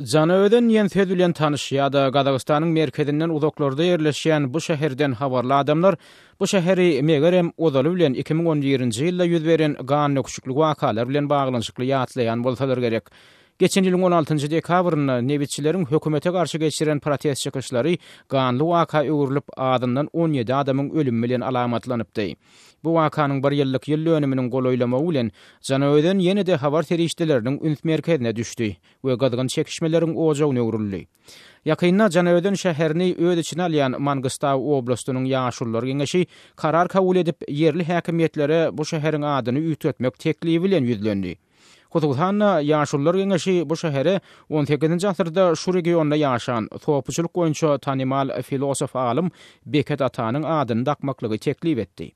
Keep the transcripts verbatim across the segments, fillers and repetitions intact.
Janaözen diýen söz bilen tanyş ýa-da Gazagystanyň merkezinden uzaklarda ýerleşýän bu şäherden habarly adamlar bu şäheri megerem ozaly bilen iki müň on birinji ýylda ýüz beren gandöküşikli wakalar bilen baglanyşykly ýatlaýan bolsalar gerek. Geçen ýylyň on altynjy dekabrynda nebitçileriň hökümete garşy geçiren protest çykyşlary ganly waka öwrülip, azyndan on ýedi adamyň ölümi bilen alamatlanypdy. Bu wakanyň bir ýyllyk ýyl dönüminiň golaýlamagy bilen Janaözen ýene-de habar serişdeleriniň üns merkezine düşdi we gyzgyn çekişmeleriň ojagyna öwrüldi. Ýakynda Janaözen şäherini öz içine alýan Mangystau oblastynyň ýaşulular geňeşi karar kabul edip, ýerli häkimiýetlere bu şäheriň adyny üýtgetmek teklibi bilen ýüzlendi. Hususan-da, ýaşulular geňeşi bu şähere on sekizinji asyrda şu regionda ýaşan sopuçylyk boýunça tanymal filosof alym Beket Atanyň adyny dakmaklygy teklip etdi.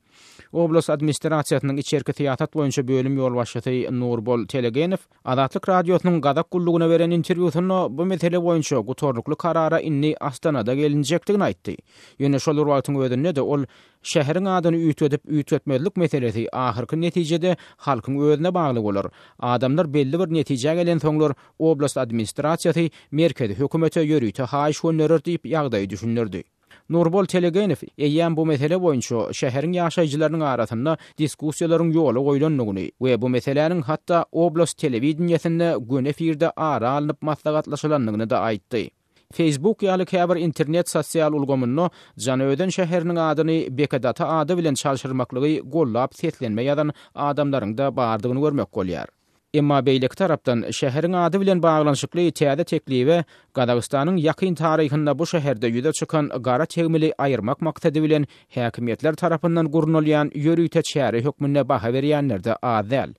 Oblast administrasiýasynyň içerki syýasat boýunça bölüm ýolbaşçysy Nurbol Telegenow Azatlyk Radiosynyň Gazak gullugyna beren interwýusynda bu mesele boýunça gutarnykly karara indi Astanada gelinjekdigini aýtdy. Ýöne şol bir wagtyň özünde-de ol şäheriň adyny üýtgedip üýtgetmezlik meselesi ahyrky netijede halkyň özüne bagly bolar. Adamlar belli bir netijä gelensoňlar oblast administrasiýasy merkezi hökümete ýörite haýyş gönderer diýip ýagdaýy düşündirdi. Nurbol Telegenow eýýäm bu mesele boýunça şäheriň ýaşaýjylarynyň arasynda diskussiýalaryň ýola goýlandygyny we bu meseläniň hatda oblast telewideniýesinde göni efirde ara alnyp maslahatlaşylandygyny da aýtdy. Facebook ýaly käbir internet sosial ulgamynda Janaözen şäheriniň adyny Bekedata ady bilen çalşyrmaklygy gollap seslenme ýazan adamlaryň da bardygyny görmek bolýar. Emma beýleki tarapdan şäheriň ady bilen baglanyşykly täze teklibe Gazagystanyň ýakyn taryhynda bu şäherde ýüze çykan gara tegmili aýyrmak maksady bilen häkimiýetler tarapyndan gurnalýan ýörite çäre hökmünde baha berýänler-de az däl.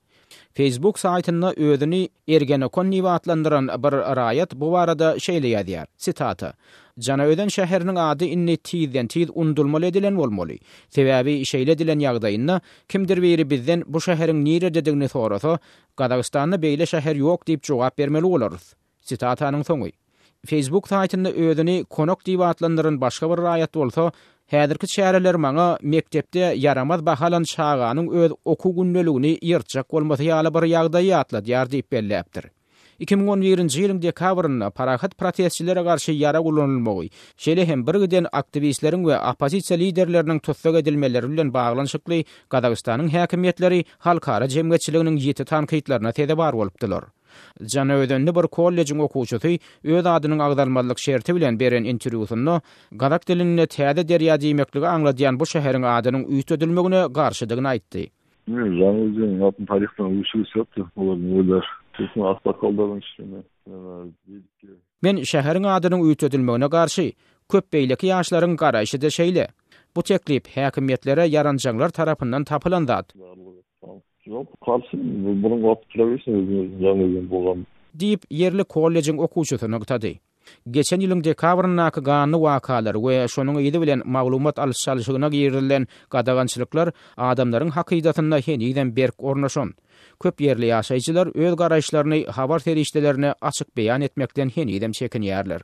Facebook saýtynda özüni Ergenekon diýip atlandyran bir raýat bu barada şeýle ýazýar. Sitata: Janaözen şäheriniň ady indi tizden tiz undulmaly edilen bolmaly. Sebäbi şeýle edilen ýagdaýynda kimdir biri bizden bu şäheriň nirededigini sorasa, Gazagystanda beýle şäher ýok diýip jogap bermeli bolarys. Sitatanyň soňy. Facebook saýtynda özüni Konok diýip atlandyran başga bir raýat bolsa, häzirki çäreler maňa mekdepde ýaramaz bahalan çaganyň öz okuw gündeligini ýyrtjak bolmasy ýaly bir ýagdaýy ýatladýar diýip belläpdir. Iki müň on birinji ýylyň dekabrynda parahat protestçilere garşy ýara ulanylmagy, şeýle hem bir giden aktiwistleriň we oppozisiýa liderleriniň tussag edilmeleri bilen baglanyşykly Gazagystanyň häkimiýetleri halkara jemgyýetçiliginiň ýiti tankytlaryna sezewar bolupdylar. Janaözenli bir kollejiň okuwçysy öz adynyň agzalmazlyk şerti bilen beren interwýusynda gazak dilinde täze derýa diýmekligi aňladýan bu şäheriň adynyň üýtgedilmegine garşydygyny aýtdy. Janaözen adyny taryhdan öçürip söpdi, olar öýler. Sosun aksakallaryň içinde, Men şäheriň adynyň üýtgedilmegine garşy, köp beýleki ýaşlaryň garaýşy-da şeýle. Bu teklip häkimiýetlere ýaranjaňlar tarapyndan tapylan zat. Ýok, garşy, bunuň wagty türebilsin, özüniň Janaözen bolgan. Diýip, ýerli kollejiň okuwçysy nygtady. Geçen ýylyň dekabryndaky ganly wakalar we şonuň yzy bilen maglumat alyş-çalşygyna girilen gadagançylyklar adamlaryň hakydasynda henizem berk ornaşan. Köp ýerli ýaşaýjylar öz garaýyşlaryny habar serişdelerine açyk beýan etmekden henizem çekinýärler.